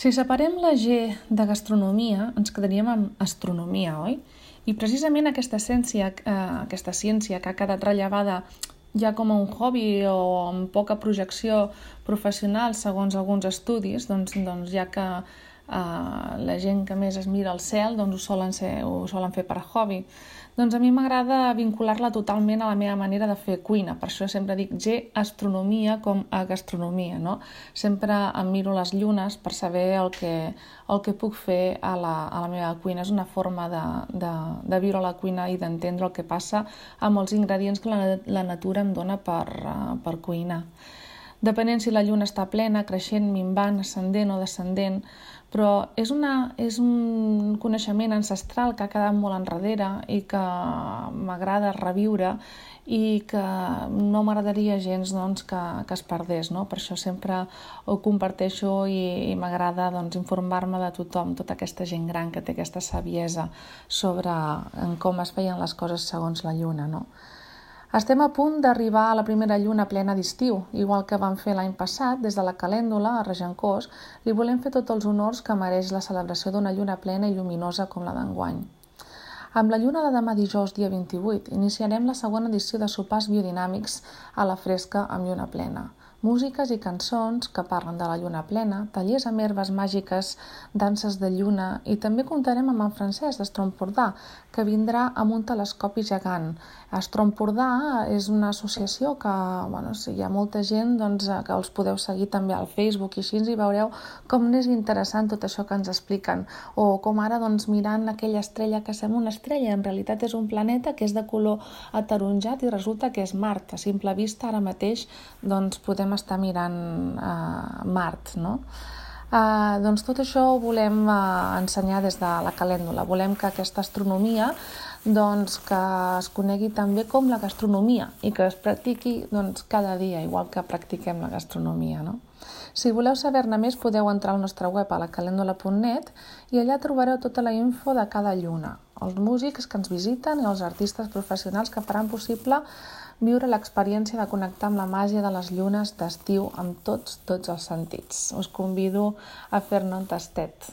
Si separem la G de gastronomia, ens quedaríem amb astronomia, oi? I precisament aquesta ciència que ha quedat rellevada ja com a un hobby o amb poca projecció professional segons alguns estudis, doncs ja que la gent que més es mira al cel ho solen fer per hobby. Doncs a mi m'agrada vincular-la totalment a la meva manera de fer cuina, per això sempre dic astronomia com a gastronomia, no? Sempre em miro les llunes per saber el que puc fer a la meva cuina. És una forma de viure la cuina i d'entendre el que passa amb els ingredients que la natura em dona per cuinar. Depenent si la lluna està plena, creixent, minvant, ascendent o descendent, però és un coneixement ancestral que ha quedat molt enrere i que m'agrada reviure i que no m'agradaria gens que es perdés, no? Per això sempre ho comparteixo i m'agrada informar-me de tothom, tota aquesta gent gran que té aquesta saviesa sobre com es feien les coses segons la lluna, no? Estem a punt d'arribar a la primera lluna plena d'estiu, igual que vam fer l'any passat, des de la Calèndula, a Regencós, li volem fer tots els honors que mereix la celebració d'una lluna plena i lluminosa com la d'enguany. Amb la lluna de demà dijous, dia 28, iniciarem la segona edició de sopars biodinàmics a la fresca amb lluna plena. Músiques i cançons que parlen de la lluna plena, tallers amb herbes màgiques, danses de lluna i també comptarem amb en Francesc d'Astrompordà, que vindrà amb un telescopi gegant. Astrompordà és una associació que hi ha molta gent que els podeu seguir també al Facebook i així i veureu com és interessant tot això que ens expliquen. O com ara mirant aquella estrella que sembla una estrella, en realitat és un planeta que és de color ataronjat i resulta que és Mart. A simple vista ara mateix podem estar mirant Mart, no? Tot això ho volem ensenyar des de la Calèndula. Volem que aquesta astronomia que es conegui també com la gastronomia i que es practiqui cada dia, igual que practiquem la gastronomia, no? Si voleu saber-ne més podeu entrar al nostre web a lacalendula.net i allà trobareu tota la info de cada lluna, els músics que ens visiten i els artistes professionals que faran possible viure l'experiència de connectar amb la màgia de les llunes d'estiu amb tots els sentits. Us convido a fer-ne un tastet.